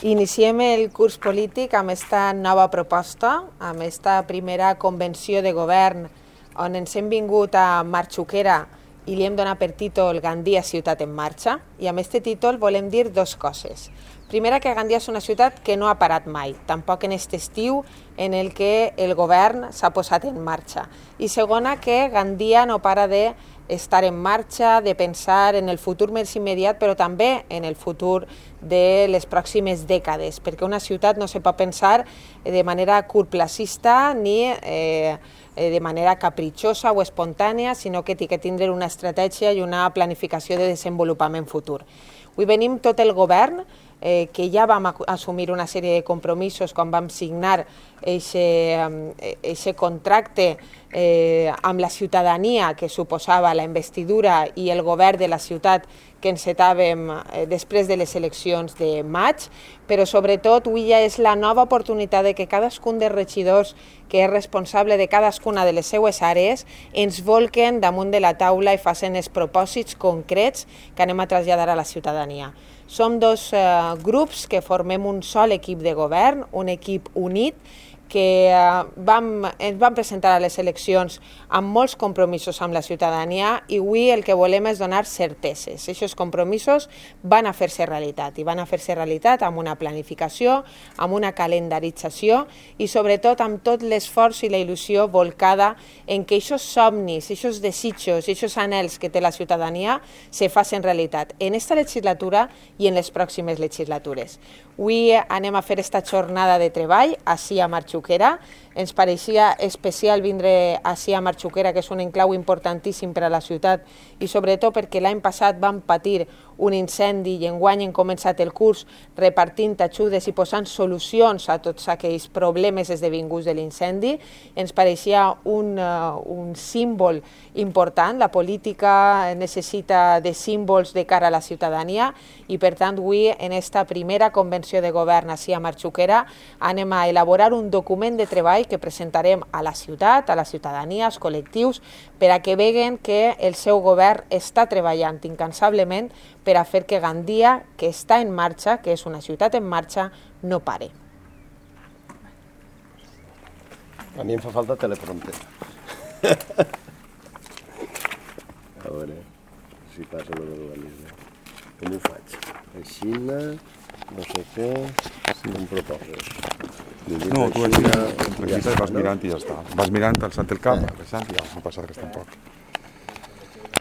Iniciem el curs polític amb aquesta nova proposta, amb aquesta primera convenció de govern on ens hem vingut a Marxuquera i li hem donat per títol Gandia, ciutat en marxa, i amb aquest títol volem dir dues coses. Primera, que Gandia és una ciutat que no ha parat mai, tampoc en aquest estiu en el que el govern s'ha posat en marxa. I segona, que Gandia no para d'estar en marxa, de pensar en el futur més immediat, però també en el futur de les pròximes dècades, perquè una ciutat no se pot pensar de manera curtplacista ni de manera capritxosa o espontània, sinó que té que tindre una estratègia i una planificació de desenvolupament futur. Avui venim tot el govern, que ja vam assumir una sèrie de compromisos quan vam signar aquest contracte amb la ciutadania que suposava la investidura i el govern de la ciutat que encetàvem després de les eleccions de maig, però sobretot avui ja és la nova oportunitat de que cadascun dels regidors que és responsable de cadascuna de les seues àrees ens volquen damunt de la taula i facin els propòsits concrets que anem a traslladar a la ciutadania. Som dos grups que formem un sol equip de govern, un equip unit, que ens vam presentar a les eleccions amb molts compromisos amb la ciutadania i avui el que volem és donar certeses. Aquests compromisos van a fer-se realitat i van a fer-se realitat amb una planificació, amb una calendarització i sobretot amb tot l'esforç i la il·lusió volcada en que aquests somnis, aquests desitjos, aquests anhels que té la ciutadania se facin realitat en aquesta legislatura i en les pròximes legislatures. Avui anem a fer aquesta jornada de treball ací a Marxuquera. Ens pareixia especial vindre ací a Marxuquera, que és un enclau importantíssim per a la ciutat i sobretot perquè l'any passat vam patir un incendi i enguany hem començat el curs repartint ajudes i posant solucions a tots aquells problemes esdevinguts de l'incendi. Ens pareixia un símbol important. La política necessita de símbols de cara a la ciutadania i per tant avui en aquesta primera convenció de govern ací a Marxuquera anem a elaborar un document de treball que presentarem a la ciutat, a la ciutadania, als col·lectius, per a que veguen que el seu govern està treballant incansablement per a fer que Gandia, que està en marxa, que és una ciutat en marxa, no pare. A mi em fa falta teleprompter. A veure si passa l'organisme. Com ho faig? Així, no sé què, em proposes. No, tu aquí vas mirant i ja està. Vas mirant, alçant el cap, alçant i ja, no passa res tampoc.